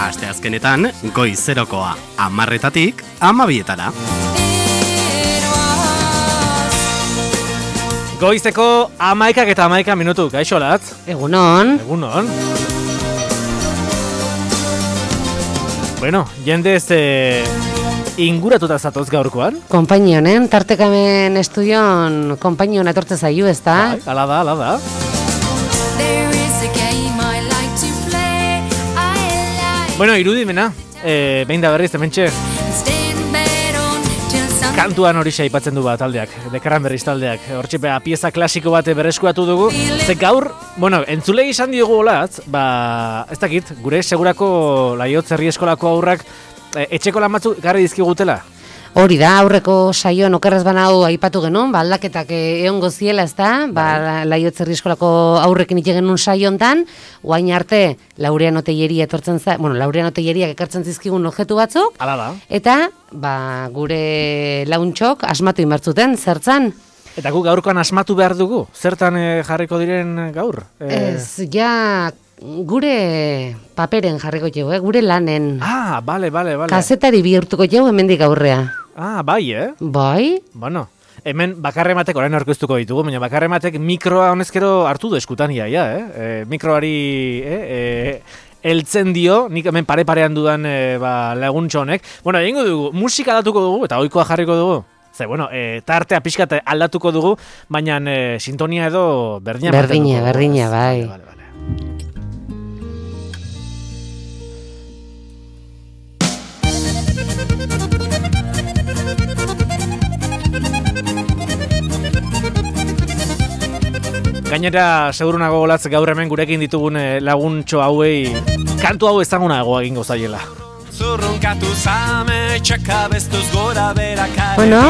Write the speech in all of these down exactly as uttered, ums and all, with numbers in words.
Asteazkenetan, goizerokoa, hamarretatik hamabietara. Goizeko hamaikak eta hamaika minutu, kaixo latz? Egunon. Egunon. Bueno, jendez eh, inguratuta zatoz gaurkoan. Konpainionen, tartekamen estudion konpainion etortze zaiu, ez da? Bai, ala da, ala da. Bueno, irudimena, eh, behin da berriz, hementxe. Kantuan hori aipatzen du bat taldeak, Dekarran Berriz taldeak. Hortxe beha pieza klasiko bat berreskuratu dugu. Ze gaur, bueno, entzulei izan diogu olatz, ba, ez dakit, gure segurako Laiotz herri eskolako aurrak e, etxeko lan batzuk garri dizkigutela. Hori da, aurreko saioan okerrez banau aipatu genuen, ba, aldaketak egon goziela, ez da? Ba, Laiotz herri eskolako aurrekin ite genuen saio hontan, guain arte Laureano Telleria etortzen za, bueno, Laureano Telleriak ekartzen zizkigun objektu batzuk. Hala da. Eta, ba, gure launtxok asmatu inbertzuten, zertzan? Eta gu gaurkoan asmatu behar dugu? Zertan e, jarriko diren gaur? E... Ez, ja, gure paperen jarriko jau, eh? Gure lanen. Ah, bale, bale, bale. Kazetari bihurtuko jau hemendik aurrea. Ah, bai, eh? Bai? Bueno, hemen bakarrematek orain aurkeztuko ditugu, baina bakarrematek mikroa honezkero hartu du eskutan ia, ja, eh? E, mikroari, eh? E, eltzen dio, nik hemen pare-parean dudan e, ba, laguntxo honek. Bueno, egingo dugu, musika aldatuko dugu, eta ohikoa jarriko dugu. Ze, bueno, e, tartea pixkat aldatuko dugu, baina e, sintonia edo berdina. Berdina, berdina, bai. Vale, vale, vale. Gainera, segurunago golatz gaur hemen gurekin ditugun laguntxo hauei kantu hau ezagunago egingo zaiela. Bueno,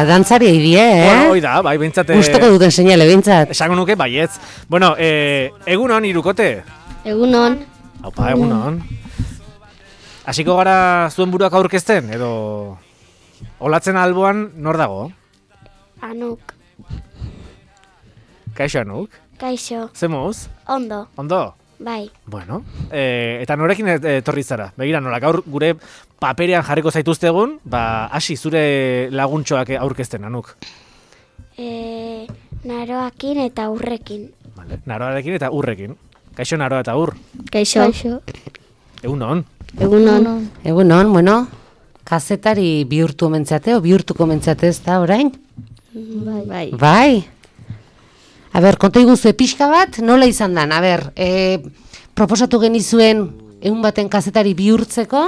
dantzari eidie, eh? Bueno, hoi da, bai, bintzate... Gustoko duten seinale, bintzat. Esango nuke, baietz. Bueno, eh, egunon, irukote? Egunon. Aupa, egunon. Hasiko gara zuen buruak aurkezten, edo... Olatzen alboan, nor dago? Anuk. Kaixo, Anuk? Kaixo. Zemuz? Ondo. Ondo? Bai. Bueno, e, eta norekin etorri zara? Begira, nola, gaur gure paperean jarriko zaituztegun, ba, hasi zure laguntxoak aurkezten, Anuk. E, naroakin eta urrekin. Vale. Naroarekin eta urrekin. Kaixo, naroa eta ur? Kaixo. Kaixo. Egunon. Egunon. Egunon, bueno, kazetari bihurtu omentzate, o bihurtuko omentzate ez da, orain? Bai. Bai. Bai. A ber, konta iguzue pixka bat, nola izan dan? A ber, e, proposatu genizuen egun baten kazetari bihurtzeko,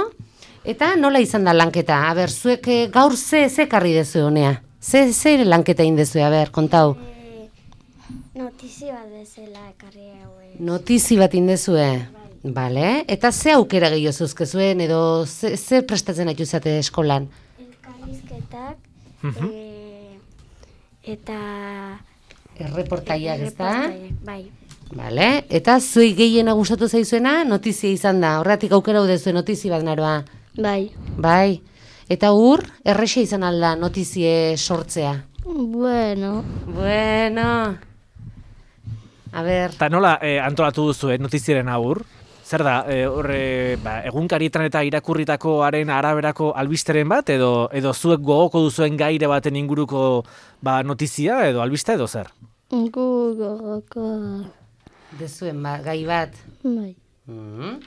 eta nola izan da lanketa? A ber, zuek e, gaur ze, ze karri dezu honea? Ze, ze lanketa indezue, a ber, kontau? E, notizi bat dezela ekarri haue. Notizi bat indezue? Bai. Bale, eta ze aukera gehiago zuzkezuen, edo ze, ze prestatzen haitu zate eskolan? Elkarrizketak, uh-huh. e, eta... Erreportaiak, ez da? Bai. Bale, eta zuei gehiena gustatu zaizuena notizia izan da. Horretik aukera udezue notizi bat, naroa. Bai. Bai. Eta ur, errexe izan alda notizie sortzea. Bueno. Bueno. A ber. Eta nola eh, antolatu duzu eh, notiziaren aur? Zer da, eh, horre, ba, egunkarietan eta irakurritakoaren araberako albisteren bat, edo edo zuek gogoko duzuen gaire baten inguruko ba, notizia, edo albiste, edo zer? Gu gogoko. Dezuen ba, gai bat. Bai. Mm.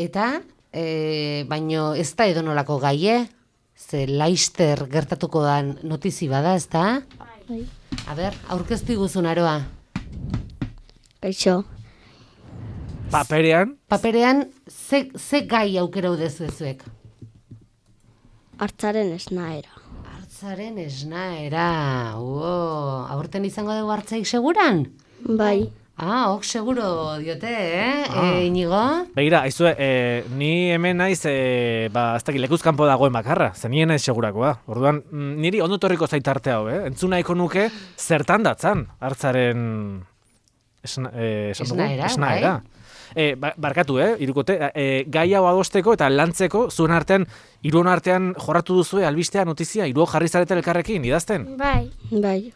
Eta, e, baino ez da edonolako gaie, ze laister gertatuko da notizi bada, ez da? Bai. A ber, aurkeztu iguzun, Aroa. Kaixo. Paperean? Paperean, ze, ze gai aukera udezu ezuek? Hartzaren esnaera. Hartzaren esnaera. Uo, aurten izango dugu hartzaik seguran? Bai. Ah, ok, seguro diote, eh? Ah. E, Inigo? Begira, aizue, e, ni hemen naiz, e, ba, ez dakit lekuzkanpo dagoen bakarra, zen nien naiz segurakoa. Orduan, niri ondo torriko zaitarte hau, eh? Entzun nahiko nuke, zertan datzan, hartzaren esna, e, esnaera, esnaera. Bai? E, barkatu, eh, irukote, e, gai hau adosteko eta lantzeko, zuen artean, hiruon artean jorratu duzue albistea, notizia, hiruo jarri zarete elkarrekin, idazten? Bai. Bai.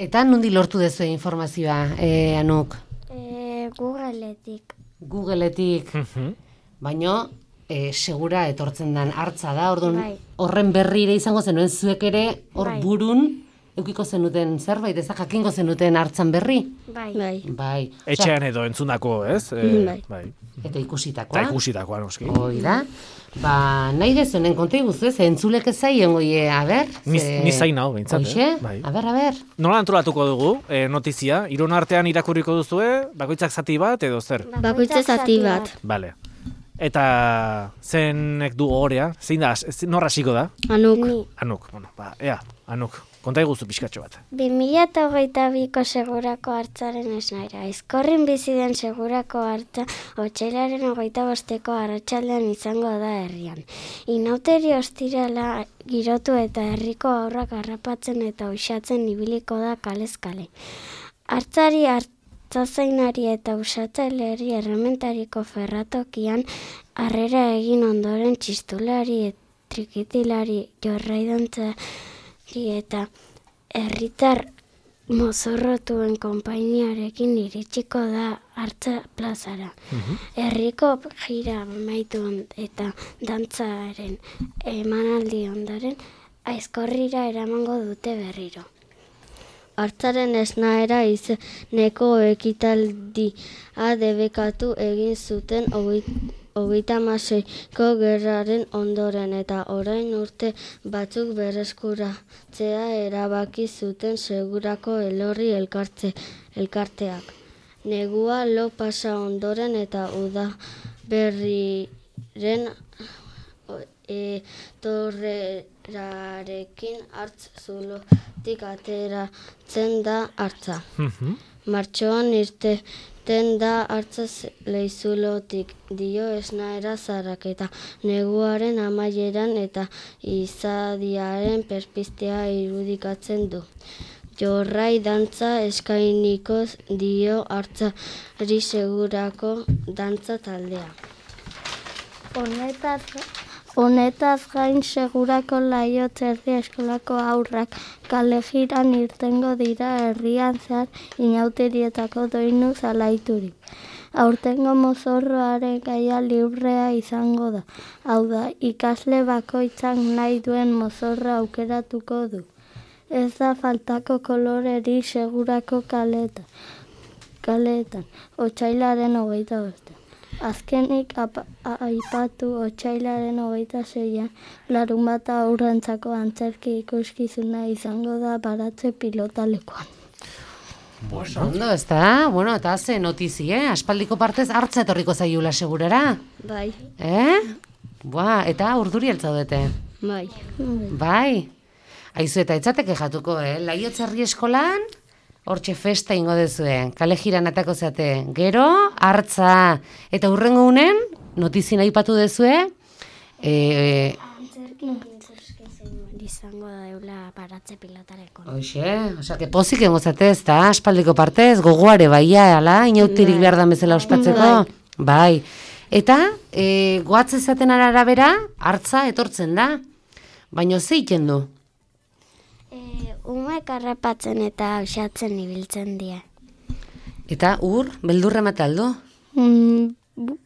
Eta nundi lortu dezue informazioa, eh, Anuk? E, Googleetik. Googleetik. Uh-huh. Baino, e, segura etortzen den hartza da, orduan Bai. horren berrire izango zenuen zuek ere hor Bai. burun eukiko zenuten zerbait, ez da jakingo zenuten hartzan berri. Bai. Bai. Bai. Osea, Etxean edo entzundako, ez? E, Bai. bai. eta ikusitakoa. Eta ikusitakoa, noski. Hoi da. Ba, nahi dezunen konta iguzu, ez? Entzulek ez zaien goie, a ber? Ni, ze- ni zain hau, behintzat, Hoxe? eh? Bai. A ber, a ber. Nola antolatuko dugu, e, notizia? Iron artean irakurriko duzue, bakoitzak zati bat, edo zer? Bakoitza zati bat. Bale. Eta zenek du ohorea? Zein da, ez- nor hasiko da? Anuk. Ni. Anuk, bueno, ba, ea, Anuk, konta iguzu pixkatxo bat. bi mila hogeita biko segurako hartzaren esnaira. Aizkorrin bizi den segurako hartza otsailaren hogeita bosteko arratsaldean izango da herrian. Inauteri ostirala girotu eta herriko aurrak harrapatzen eta uxatzen ibiliko da kalez kale. Hartzari hartzazainari eta usatzaileari errementariko ferratokian harrera egin ondoren txistulari, trikitilari, jorraidantzari eta herritar mozorrotuen konpainiarekin iritsiko da hartza plazara. Herriko jira amaitu on- eta dantzaren emanaldi ondoren aizkorrira eramango dute berriro. Hartzaren esnaera izeneko ekitaldia debekatu egin zuten hogei- hogeita hamaseiko gerraren ondoren eta orain urte batzuk berreskuratzea erabaki zuten segurako elorri elkartze, elkarteak. Negua lo pasa ondoren eta uda berriren e, torrerarekin hartz zulotik ateratzen da hartza. Martxoan irteten da hartza leizulotik, dio esnaera zarrak eta neguaren amaieran eta izadiaren perpistea irudikatzen du. Jorrai dantza eskainiko dio hartzari segurako dantza taldea. Honetaz, honetaz gain segurako Laiotz herri eskolako aurrak kalejiran irtengo dira herrian zehar inauterietako doinu zalaiturik. Aurtengo mozorroaren gaia librea izango da. Hau da, ikasle bakoitzak nahi duen mozorra aukeratuko du. Ez da faltako koloreri segurako kaletan, kaletan, otsailaren hogeita bostean. Azkenik apa, aipatu otsailaren hogeita zeian, larunbata aurrentzako antzerki ikuskizuna izango da Baratze pilotalekuan. Oso ondo, ez da? Bueno, eta ze notizi, eh? Aspaldiko partez hartza etorriko zaiula segurara. Bai, Eh? Boa, eta urduri altzaudete. bai. Bai. Aizu eta etxate kejatuko, eh? Laiotz herri eskolan, hortxe festa ingo dezue. Kale jiran atako zate. Gero, hartza. Eta hurrengo unen, notizien aipatu dezue, eh, Izango da eula Baratze pilotarekon. Hoxe, osea, que pozik egongo zate, ez da, aspaldiko partez, gogoare baia, ala, inautirik behar da bezala ospatzeko. Bai. Eta, e, goatze zaten arabera, hartza etortzen da. Baina ze egiten du? E, umek harrapatzen eta uxatzen ibiltzen die. Eta ur, beldurre mataldu? Mm,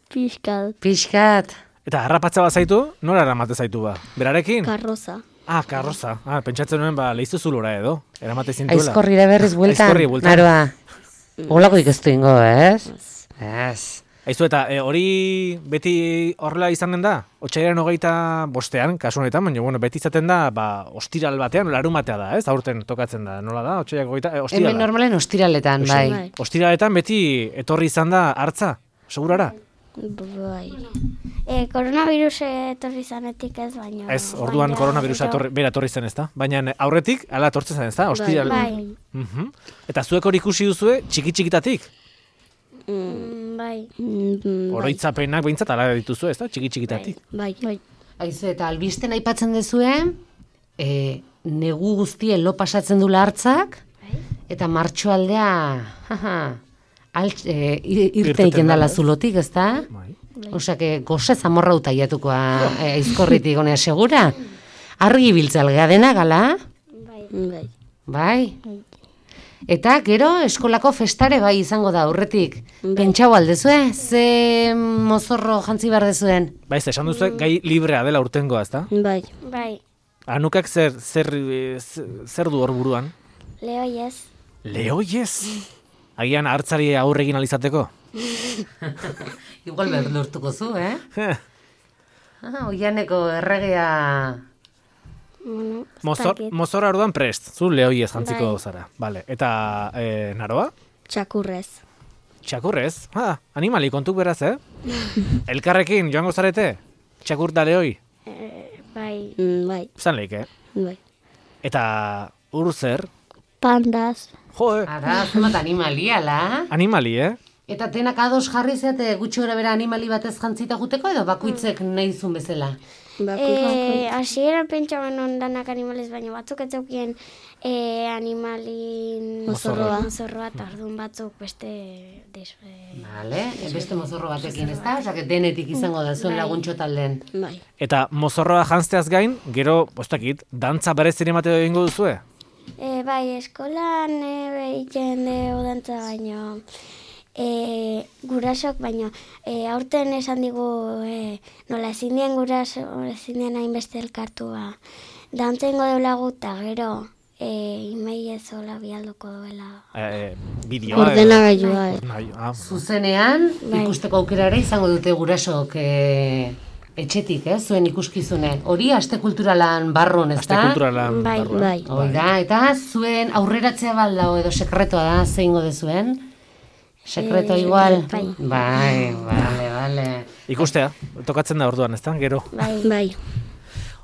Piskat. Pixkat. Eta harrapatza bat zaitu, nora eramate zaitu ba? Berarekin? Karroza. Ah, karroza. Ah, pentsatzen nuen, ba, lehizu zulora edo. Eramate zintuela. Aizkorrira berriz bueltan. Aizkorri bueltan. Naroa. Olako ikestu ingo, ez? Ez. Aizu, eta e, hori beti horrela izanen da? Otsailaren hogeita bostean, kasu honetan, baina bueno, beti izaten da, ba, ostiral batean, larumatea da, ez? Aurten tokatzen da, nola da? Otsailak hogeita, e, ostirala. Hemen normalen ostiraletan, bai. Bai. Ostiraletan beti etorri izan da hartza, segurara? Bai. E, koronavirus etorri zanetik ez, baina... Ez, orduan baina koronavirusa gero- etorri, bera etorri zen, ez da? Baina aurretik, ala etortzen zen, ez da? Ostiral. Bai, Mhm. Eta zuek hori ikusi duzue, txiki-txikitatik? mm, bai. Mm, Oroitzapenak behintzat ala dituzu, ez da? Txiki-txikitatik. Bai. Bai. Aizu, eta albisten aipatzen dezue, e, negu guztien lo pasatzen dula hartzak, eta martxoaldea, jaja, altz, e, ir- irte Irteten egiten dala dala, ez? zulotik, ez da? Bai. Osea, que goze zamorra utaiatukoa e, aizkorritik honea segura. Argi biltzal gadena gala, Bai. Bai. bai? Eta gero eskolako festare bai izango da aurretik. Pentsau aldezue, ze mozorro jantzi behar dezuen? Bai, ze, esan duzu, gai librea dela urtengoa, ezta? Bai. Bai, Anukak zer, zer, eh, zer du hor buruan? lehoiez. Lehoiez? Agian hartzari aurregin alizateko? Igual berdurtuko zu, eh? Ah, oianeko erregea... Bueno, ez Mozor, dakit. mozorra orduan prest, zu lehoiez jantziko Bai. zara. Vale. Eta e, naroa? Txakurrez. Txakurrez? Ha, animali kontuk beraz, eh? Elkarrekin joango zarete? Txakur da lehoi? Eh, bai, Mm, bai. Zan leik, eh? Bai. Eta ur zer? Pandas. Jo, eh? Ara, zenbat animaliala. Animali, eh? Eta tenak ados jarri zeate gutxi gora bera animali batez jantzita juteko edo bakuitzek nahi zuen bezala? Eh, hasieran pentsaban ondanak animales, baina batzuk ez zeukien eh, animalin Mozorroa. mozorroa, eta orduan batzuk beste des, eh, Vale, beste mozorro batekin, ez da? Osea, denetik izango da zuen laguntxo talden. Bai. Eta mozorroa janzteaz gain, gero, bostakit, dantza berezien emate egingo duzue? eh, bai, eskolan eh, egiten dugu dantza, baina e, gurasok, baina e, aurten esan digu e, nola ezin dien guraso, ezin dien hainbeste elkartua dantza ingo deulagu eta gero e, imei ez hola bialduko duela. E, bideoa. Ordenagailua. eh. Nahi, ah, Zuzenean, Bai. ikusteko aukera ere izango dute gurasok e, etxetik, eh, zuen ikuskizune. Hori aste kulturalan barrun, ez aste da? kulturalan Bai, barruan. bai. Hoi da, eta zuen aurreratzea baldao edo sekretua da, zeingo dezuen? Sekreto Eh, igual? bai. Bai, vale, vale. Ikustea, tokatzen da orduan, ezta? Gero. Bai, Bai.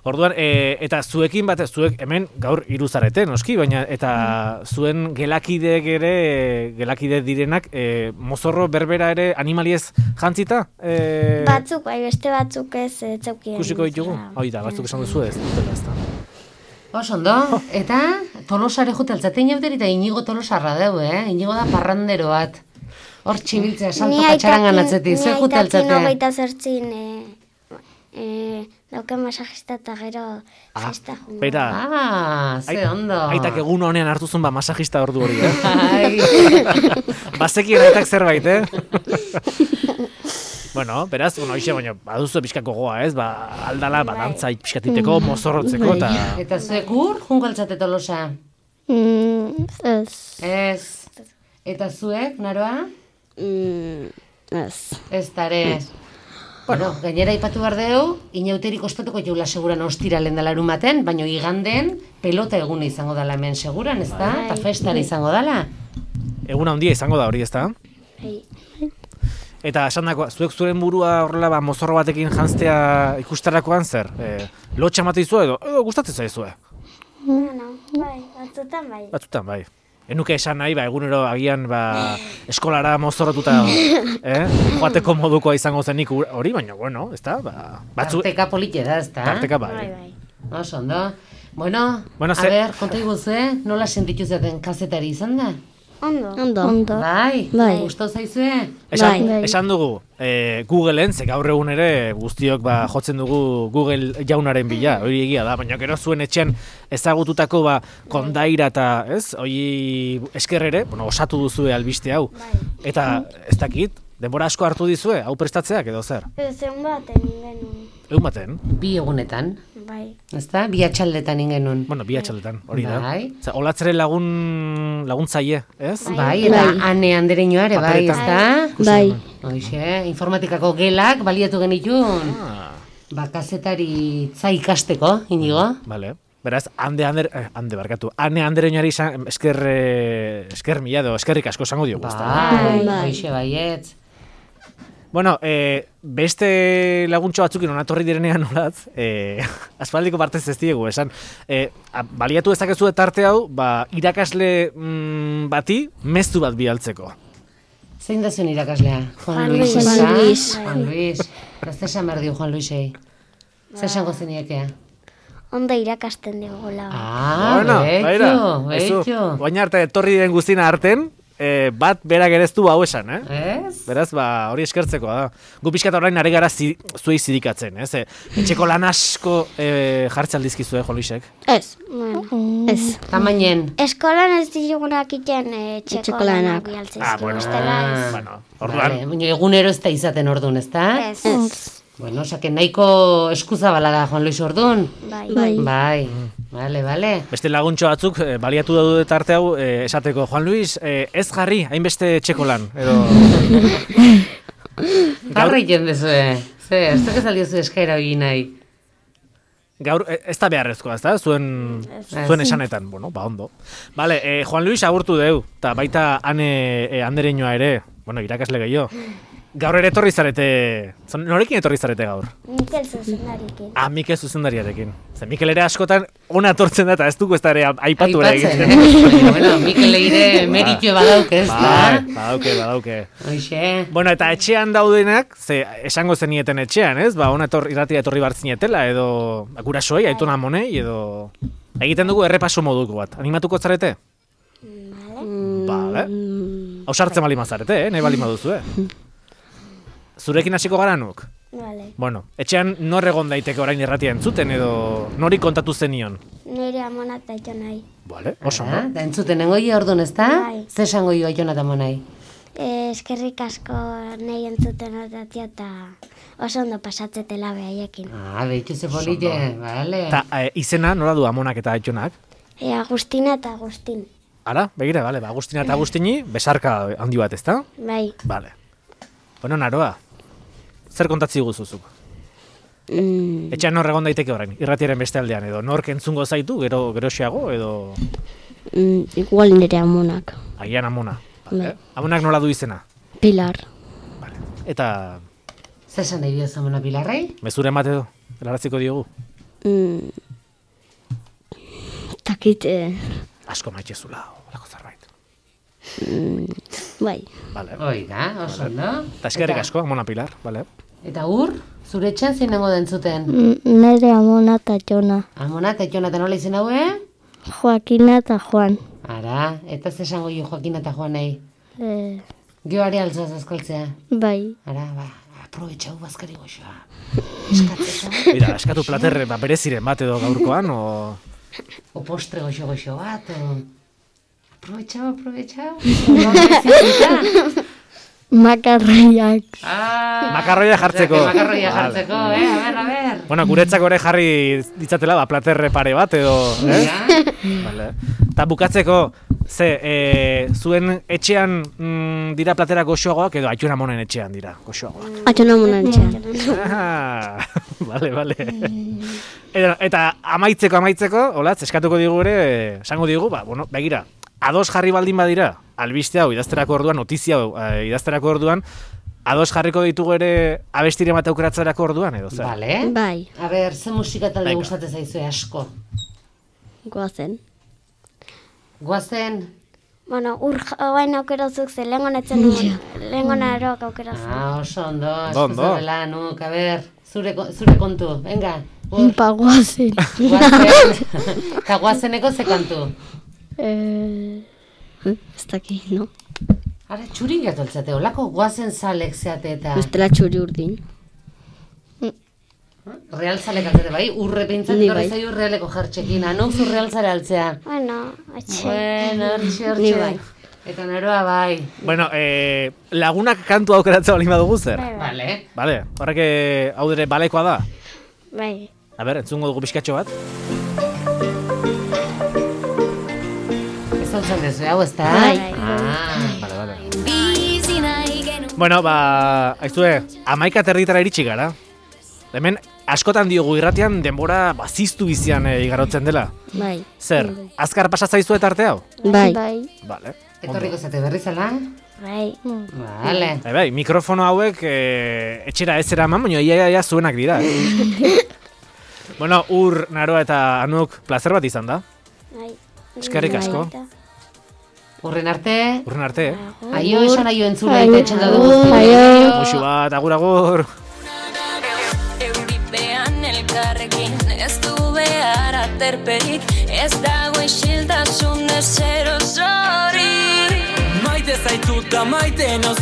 Orduan, e, eta zuekin bat, zuek hemen gaur hiru zarete, noski, baina eta zuen gelakideek ere, gelakide direnak, e, mozorro berbera ere animaliez jantzita? E, batzuk, bai, beste batzuk ez ez zeukien. Ikusiko ditugu? Hoi da, batzuk esan duzu ez, dutela, ezta? Oso ondo, eta Tolosare jute altzaten jauteri eta Inigo Tolosarra deu, eh? Inigo da parrandero bat. Hor txibiltzea, salto patxarangan atzetik, ze jute Ni altzate? aitakin hogeita zortzin e, e, dauke masajista eta gero festa jungo. Bera, Ah, ze ondo. aitak egun honean hartu zuen ba masajista ordu hori, eh? Ai. Bazekien aitak zerbait, eh? Bueno, beraz, bueno, hoxe, baina, baduzu pixkako goa, ez? Ba, aldala, badantza pixkatiteko, mozorrotzeko, eta... Eta zuek ur, jungo altzate Tolosa? Mm, ez. Ez. Eta zuek, naroa? Mm, ez. Ez tare. Bueno, gainera ipatu behar deu, inauterik ospatuko jaula seguran ostiralen dela erumaten, baina iganden pelota eguna izango dela hemen seguran, ez da? Eta festara izango dela. Eguna handia izango da hori, ezta? Bai. Eta esan dako, zuek zuen burua horrela ba, mozorro batekin janztea ikustarakoan zer? E, lotxa mate izue edo, edo gustatzen zaizue? Bueno, bai, batzutan bai. Batzutan, bai. Enuke esan nahi, ba, egunero agian ba, eskolara mozorrotuta eh? joateko modukoa izango zenik hori, baina, bueno, ez da? Ba, batzu... Tarteka politia da, ez da? Tarteka, bai. Bai, bai. Oso ondo. Bueno, Bueno, a ze- ber, konta iguzue, nola sentitu zaten kazetari izan da? Ondo. Ondo. Ondo. Bai, Bai. gustau zaizue? Esan, Bai. esan dugu, e, Googleen, ze gaur egun ere guztiok ba, jotzen dugu Google jaunaren bila, hori egia da, baina gero zuen etxean ezagututako ba, kondaira eta, ez, hori esker ere, bueno, osatu duzue albiste hau. Eta, ez dakit, denbora asko hartu dizue, hau prestatzeak edo zer? Ez egun baten genuen. Egun baten, Bi egunetan, Bai. ez da? Bi atxaldetan ingenun. bueno, bi atxaletan, hori da. Bai. Zer, olatzere lagun, laguntzaile, ez? Bai, eta Bai. ane andereño ere, bai, ez Paperetan. da? Bai. Hoxe, informatikako gelak baliatu genitun. Ah, Bakazetari za ikasteko, inigo. vale. Beraz, hande, hande, eh, hande barkatu, hane andereñari izan, esker, eh, esker mila edo, eskerrik asko esango diogu, ezta? Bai, Bai. hoxe baietz. Bueno, e, beste laguntxo batzukin onatorri direnean nolatz, e, aspaldiko partez ez diegu, esan, e, a, baliatu dezakezu tarte hau, ba, irakasle mm, bati mezu bat bialtzeko. Zein da zuen irakaslea? Juan Juan Luis. Luis. ezta? Juan Luis. Juan Luis. Gazte esan behar dio Juan Luisei. Zer esango zeniekea? Ondo irakasten digula. Ah, Bueno, betxo, beira, aizu, betxo. Oain arte etorri diren guztina arten, e, bat berak ere ez du hau esan, eh? Ez? Beraz, ba, hori eskertzekoa da. Gu pixkat orain ari gara zi, zuei zirikatzen, ez? E, etxeko lan asko e, jartze aldizkizu, eh, Jolisek? Ez. Bueno, Ez. Tamainen. eskolan ez digunak iten eh, txeko Etxeko lanak lanak. bialtzezki. Ah, bueno. Bestela ez. Bueno, orduan, Vale, baina egunero ez da izaten orduan, ez da? Ez. Ez. Bueno, osake nahiko eskuzabala da, Juan Luis orduan. Bai. Bai. Bai, vale, vale. beste laguntxo batzuk e, baliatu daude tarte hau e, esateko, Juan Luis, e, ez jarri, hainbeste etxeko lan, edo... Gaur egiten dezue. Ze, ez duk ez aldiozu eskaira hori nahi. Gaur, e, ez da beharrezkoa, ez da? Zuen, zuen esanetan, bueno, ba, ondo. Vale, e, Juan Luis agurtu deu, eta baita ane e, andereñoa ere, bueno, irakasle gehiago. Gaur ere etorri zarete, zon, norekin etorri zarete gaur? Mikel zuzendarikin. Ah, Mikel zuzendariarekin. Ze Mikel ere askotan ona etortzen da, eta ez dugu ez da ere aipatu ere Aipatzen, egiten. eh? Bueno, Mikel eire meritxo badauk ez da. Bai, badauke, badauke. Hoxe. Bueno, eta etxean daudenak, ze esango zenieten etxean, ez? Ba, ona etor, irratia etorri bartzinetela, edo ba, gurasoei, aitona monei, edo... Egiten dugu errepaso moduko bat. Animatuko zarete? Vale. Hau sartzen bali mazarete, eh? Nahi bali maduzu, eh? Zurekin hasiko gara nuk? Vale. Bueno, etxean nor egon daiteke orain irratia entzuten, edo nori kontatu zenion? Nire amona eta ito nahi. Vale, oso, Ah, no? da entzuten nengoia orduan ez da? Bai. Ze esango jo aiona eta monai? Eh, eskerrik asko nahi entzuten otatia eta oso ondo pasatzetela behaiekin. Ah, behitu ze polite, vale. Eta e, izena nola du amonak eta aitonak? E, Agustina eta Agustin. Ara, begira, bale, ba, Agustina eta Agustini, besarka handi bat, ezta? Bai. Bale. Bueno, Naroa, zer kontatzi guzuzuk? Mm, Etxean nor egon daiteke orain, irratiaren beste aldean, edo nork entzungo zaitu, gero geroxeago, edo mm, igual nire amonak. agian amona. Vale. Bai. Amonak nola du izena? Pilar. Vale. Eta Ze esan nahi bioz amona Pilarrei? mezuren bat edo, helaraziko diogu. Mm, takit, eh, Asko maitxezula, olako zerbait. bai. Vale. Hoi da, oso ondo. Eta eskerrik asko, amona Pilar, vale. Eta ur, zure etxean zein nengo dentzuten? Mm, nire amona eta Jona. Amona eta Jona eta nola izen haue? Joakina eta Juan. Ara, eta ze esango jo Joaquin eta Juanei? Eh, Geoari altzaz azkaltzea. bai. Ara, ba, aprobetxau bazkari goxoa. Eskatzeko. Mira, eskatu platerre, ba, bereziren bat edo gaurkoan, o... O postre goxo goxo bat, o... Aprobetxau, aprobetxau. No necesita. Makarraiak. Ah, Makarroia jartzeko. Makarroia Vale. jartzeko, eh? A ber, a ber. Bueno, guretzako ere jarri ditzatela, ba, platerre pare bat edo, eh? Ja. Vale. Ta bukatzeko, ze, e, zuen etxean mm, dira platera goxoagoak edo aituna monen etxean dira goxoagoak? Atxona monan txan. Ah, vale, vale. Eta, eta amaitzeko, amaitzeko, olatz, eskatuko digu ere, esango digu, ba, bueno, begira, ados jarri baldin badira, albiste hau idazterako orduan, notizia hau eh, idazterako orduan, ados jarriko ditugu ere abestire bat aukeratzerako orduan, edo zer? Vale. Bai. A ber, ze musika talde Venga. gustate zaizue asko? Goazen. Goazen? Bueno, ur hain aukerazuk ze lehengo netzen nuen, lehengo naroak aukerazuk. Ah, oso ondo, Ondo, ondo. eskuzabela, nuk, a ber, zure, ko- zure kontu, venga. Ur, Pa goazen. goazen. Eta goazeneko ze kantu? eh, ez daki, no? Ara, txuri gatoltzate, olako goazen zalek zeate eta... Bestela txuri urdin. Real zalek altzate, bai? Urre pintzat Ni torre bai. zaio realeko jartxekin, anuk zu real zare altzea. Bueno, atxe. Bueno, hortxe, Ni hortxe. bai. Eta naroa bai. Bueno, eh, lagunak kantu aukeratzea baldin badugu zer? Bai, bai. Vale. Vale, horrek eh, hau ere balekoa da? Bai. A ber, entzungo dugu pixkatxo bat. Ez hau zan dezu, hau ez da? Bai. Ah, Vale, vale. Bueno, ba, aizue, amaika territara iritsi gara. Hemen, askotan diogu irratian denbora baziztu bizian e, igarotzen dela. Bai. Zer, azkar pasatzaizu eta arte hau? Bai. Vale. etorriko zate berri zela? Bai. Vale. Bai, bai, mikrofono hauek e, etxera ez eraman, baina ia, ia, ia zuenak dira. Eh? Bueno, Ur, Naroa eta Anuk plazer bat izan da. Bai. Eskerrik asko. Urren arte, Urren arte, eh? aio esan aio entzule Aio. eta etxenda dugu. Aio. Muxu bat, agur, agur. Euripean elkarrekin ez du behar aterperik, ez dago isiltasun ezer osorik. Maite zaitut da maite nauz